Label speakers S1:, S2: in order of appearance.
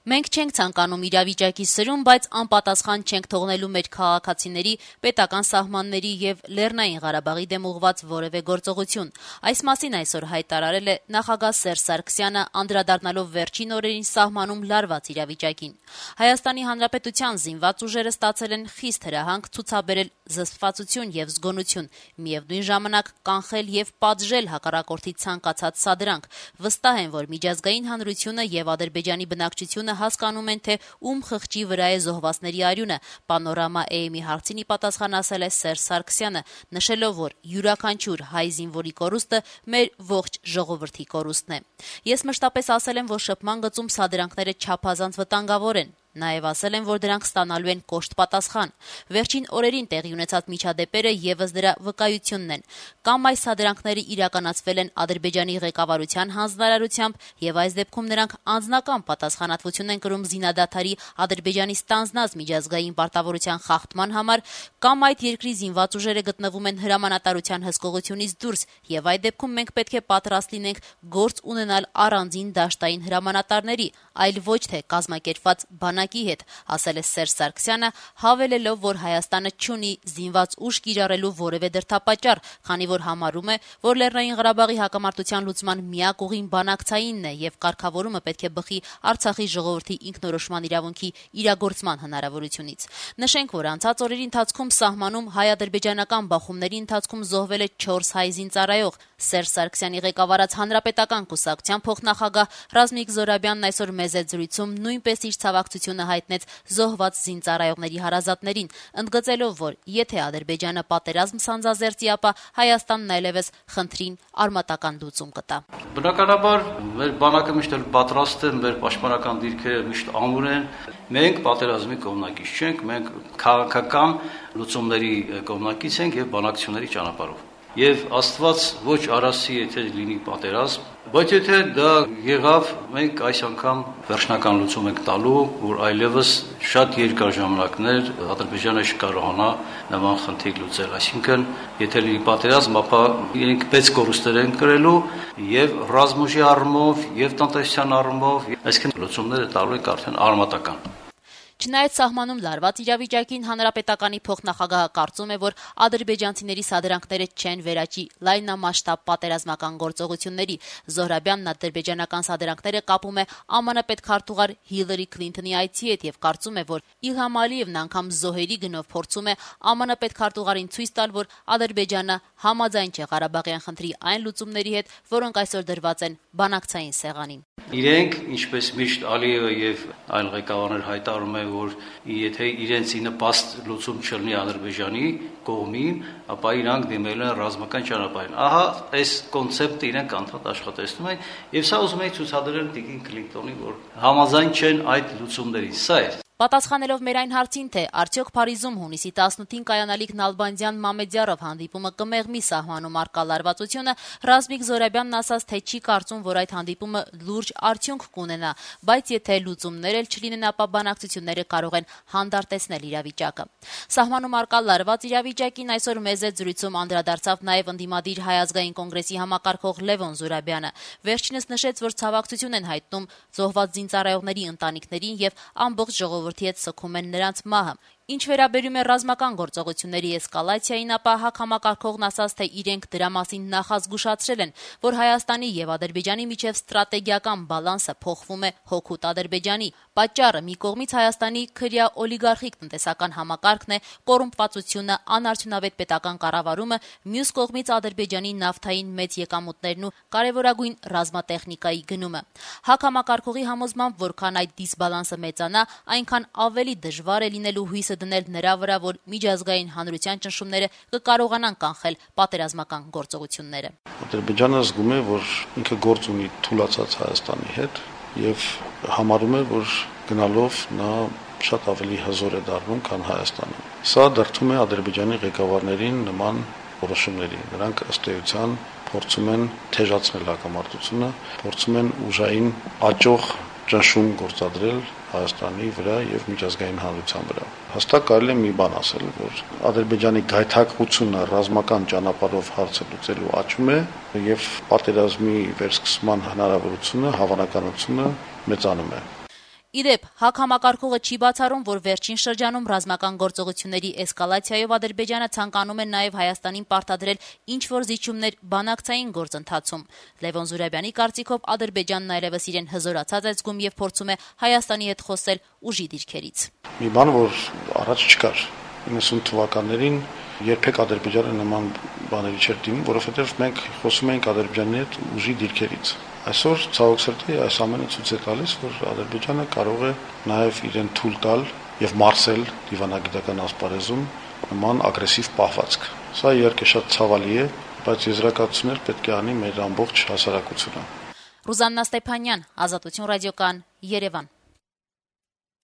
S1: Մենք չենք ցանկանում իրավիճակի սրում, բայց անպատասխան չենք թողնելու մեր քաղաքացիների, պետական սահմանների եւ Լեռնային Ղարաբաղի դեմ ուղղված որևէ գործողություն։ Այս մասին այսօր հայտարարել է նախագահ Սերժ Սարգսյանը, անդրադառնալով վերջին օրերին սահմանում լարված իրավիճակին։ Հայաստանի Հանրապետության զինված ուժերը ստացել են խիստ հրահանգ ցուցաբերել զսպվածություն եւ զգոնություն, միևնույն ժամանակ կանխել եւ պատժել հակառակորդի ցանկացած սադրանք։ Վստահ են, որ միջազգային հանրությունը եւ Ադրբեջանի բնակչությունը հասկանում են, թե ում խղճի վրա է զոհվածների արյունը, Պանորամա AM-ի հարցին ի պատասխան ասել է Սերժ Սարգսյանը, նշելով, որ յուրաքանչյուր հայ զինվորի կորուստը մեր ողջ ժողովրդի կորուստն է։ Ես մշտապես ասել եմ, որ շփման գծում սադրանքները չափազանց վտանգավոր են։ Նաև ասել են, որ դրանք ստանալու են կոշտ պատասխան։ Վերջին օրերին տեղի ունեցած միջադեպերը եւս դրա վկայությունն են։ Կամ այս սադրանքները իրականացվել են Ադրբեջանի ղեկավարության հանձնարարությամբ եւ այս դեպքում նրանք անձնական պատասխանատվություն են կրում զինադադարի Ադրբեջանի ստանձնած միջազգային պարտավորության խախտման համար, կամ այդ երկրի զինված ուժերը գտնվում են հրամանատարության հսկողությունից դուրս եւ այդ դեպքում մենք պետք է պատրաստ լինենք գործ ունենալ առանձին դաշտային հրամանատարների, այլ ոչ թե կազմակերպված բանակի հետ, ասել է Սերժ Սարգսյանը, հավելելով, որ Հայաստանը չունի զինված ուժ կիրառելու որևէ դրդապատճառ, քանի որ համարում է, որ Լեռնային Ղարաբաղի հակամարտության լուծման միակ ուղին բանակցայինն է եւ կարգավորումը պետք է բխի Արցախի ժողովրդի ինքնորոշման իրավունքի իրագործման հնարավորությունից։ Նշենք, որ անցած օրերի ընթացքում սահմանում հայ-ադրբեջանական բախումների ընթացքում զոհվել է 4 հայ զինծառայող։ Սերժ Սարգսյանի ղեկավարած հանրապետական կուսակցության փոխնախագահ Ռազմիկ Զոհրաբյանն այսօր մեծ զրույցում նույնպես իր ցավակցությունը հայտնեց զոհված զինծառայողների հարազատներին, ընդգծելով, որ եթե Ադրբեջանը պատերազմ սանձազերծի, ապա Հայաստանն այլևս խնդրին արմատական լուծում կտա։
S2: Բնականաբար մեր բանակը միշտ պատրաստ է, մեր պաշտպանական դիրքերը միշտ ամուր են։ Մենք պատերազմի կողմնակից չենք, մենք քաղաքական լուծումների կողմնակից ենք եւ բանակցությունների ճանապարհով։ Եվ Աստված ոչ արասի, եթե լինի պատերազմ, բայց եթե դա եղավ, մենք այս անգամ վերջնական լուծում ենք տալու, որ այլևս շատ երկար ժամանակներ Ադրբեջանը չկարողանա նման խնդիր լուծել, այսինքն եթե լինի պատերազմ, ապա իրենք պետք կորուստներ են կրելու եւ ռազմուժի առումով եւ տնտեսության առումով, այսինքն լուծումները տալու ենք արդեն արմատական։
S1: Չնայած սահմանում լարված իրավիճակին, հանրապետականի փոխնախագահը կարծում է, որ ադրբեջանցիների սադրանքները չեն վերաճի լայնամասշտաբ պատերազմական գործողությունների։ Զոհրաբյանն ադրբեջանական սադրանքները կապում է ԱՄՆ պետքարտուղար Հիլարի Քլինթոնի այցի հետ եւ կարծում է, որ Իլհամ Ալիևն անգամ զոհերի գնով փորձում է ԱՄՆ պետքարտուղարին ցույց տալ, որ Ադրբեջանը համաձայն չէ Ղարաբաղյան խնդրի այն լուծումների հետ, որոնք այսօր դրված են բանակցային սեղանին։
S2: Իրենք, ինչպես միշտ Ալիևը եւ այլ ղեկավարներ հայտարարում են, որ եթե իրենց նպաստ լուծում չլինի Ադրբեջանի կողմին, ապա իրանք դիմել են ռազմական ճանապարհին։ Ահա այս կոնցեպտը իրենք անդադ աշխատեցնում են եւ սա ուզում են ցուցադրել Տիկին Քլինտոնին, որ համաձայն չեն այդ լուծումներին։ Սա է։
S1: Պատասխանելով մեր այն հարցին, թե արդյոք Փարիզում հունիսի 18-ին կայանալիք Նալբանդյան Մամեդյարով հանդիպումը կմեղմի սահմանում առկա լարվածությունը, Ռազմիկ Զոհրաբյանն ասաց, թե չի կարծում, որ այդ հանդիպումը լուրջ արդյունք կունենա, բայց եթե լուծումներ էլ չլինեն, ապա բանակցությունները կարող են հանդարտեցնել իրավիճակը։ Սահմանում առկա լարված իրավիճակին այսօր մեծ զրույցում անդրադարձավ նաև ընդդիմադիր Հայ ազգային կոնգրեսի համակարգող Լևոն Զուրաբյանը։ Վերջինս նշեց, որ ցավակցություն են հայտնում զոհված զինծառայողների ընտանիքներին եւ ամբողջ ժողովրդի հետ սգում են նրանց մահը։ Ինչ վերաբերում է ռազմական գործողությունների էսկալացիային, ապա հակամակարգողն ասաց, թե իրենք դրա մասին նախազգուշացրել են, որ Հայաստանի եւ Ադրբեջանի միջև ստրատեգիական բալանսը փոխվում է հօգուտ Ադրբեջանի։ Պատճառը մի կողմից Հայաստանի քրյա օլիգարխիկ տնտեսական համակարգն է, կոռումպվածությունը, անարդյունավետ պետական կառավարումը, մյուս կողմից Ադրբեջանի նավթային մեծ եկամուտներն ու կարևորագույն ռազմատեխնիկայի գնումը։ Հակամակարգողի համոզմամբ, որքան այդ դիսբալանսը մեծանա, այնքան ավելի դժվար է լինելու հույսը դնել նրա վրա, որ միջազգային հանրության ճնշումները կկարողանան կանխել պատերազմական գործողությունները։
S3: Ադրբեջանը զգում է, որ ինքը գործ ունի թուլացած Հայաստանի հետ եւ համարում է, որ գնալով նա շատ ավելի հզոր է դառնում, քան Հայաստանը։ Սա դրդում է Ադրբեջանի ղեկավարներին նման որոշումների։ Նրանք ըստ էության փորձում են թեժացնել հակամարտությունը, փորձում են ուժային աճող ճնշում գործադրել Հայաստանի վրա եւ միջազգային հանրության վրա։ Հստակ կարելի է մի բան ասել, որ Ադրբեջանի գայթակղությունը ռազմական ճանապարհով հարցը լուծելու աճում է եւ պատերազմի վերսկսման հնարավորությունը, հավանականությունը մեծանում է։
S1: Իդեպ, ՀԱԿ համակարգողը չի բացառում, որ վերջին շրջանում ռազմական գործողությունների էսկալացիայով Ադրբեջանը ցանկանում է նաև Հայաստանին պարտադրել ինչ-որ զիջումներ բանակցային գործընթացում։ Լևոն Զուրաբյանի կարծիքով Ադրբեջանն այլևս իրեն հզորացած է զգում եւ փորձում է Հայաստանի հետ խոսել ուժի դիրքերից։
S3: Մի բան, որ առաջ չկար 90 թվականներին երբեք Ադրբեջանը նման բաների չէր դիմում, որովհետեւ մենք խոսում էինք Ադրբեջանի հետ ուժի դիրքերից։ Այսօր ցավոք սրտի այս ամենը ցույց է տալիս, որ Ադրբեջանը կարող է նաև իրեն թույլ տալ եւ մարսել դիվանագիտական ասպարեզում նման ագրեսիվ պահվածք։ Սա իհարկե շատ ցավալի է, բայց եզրակացություններ պետք է անի մեր ամբողջ հասարակությունը։
S1: Ռուզաննա Ստեփանյան, Ազատություն ռադիոկան, Երևան։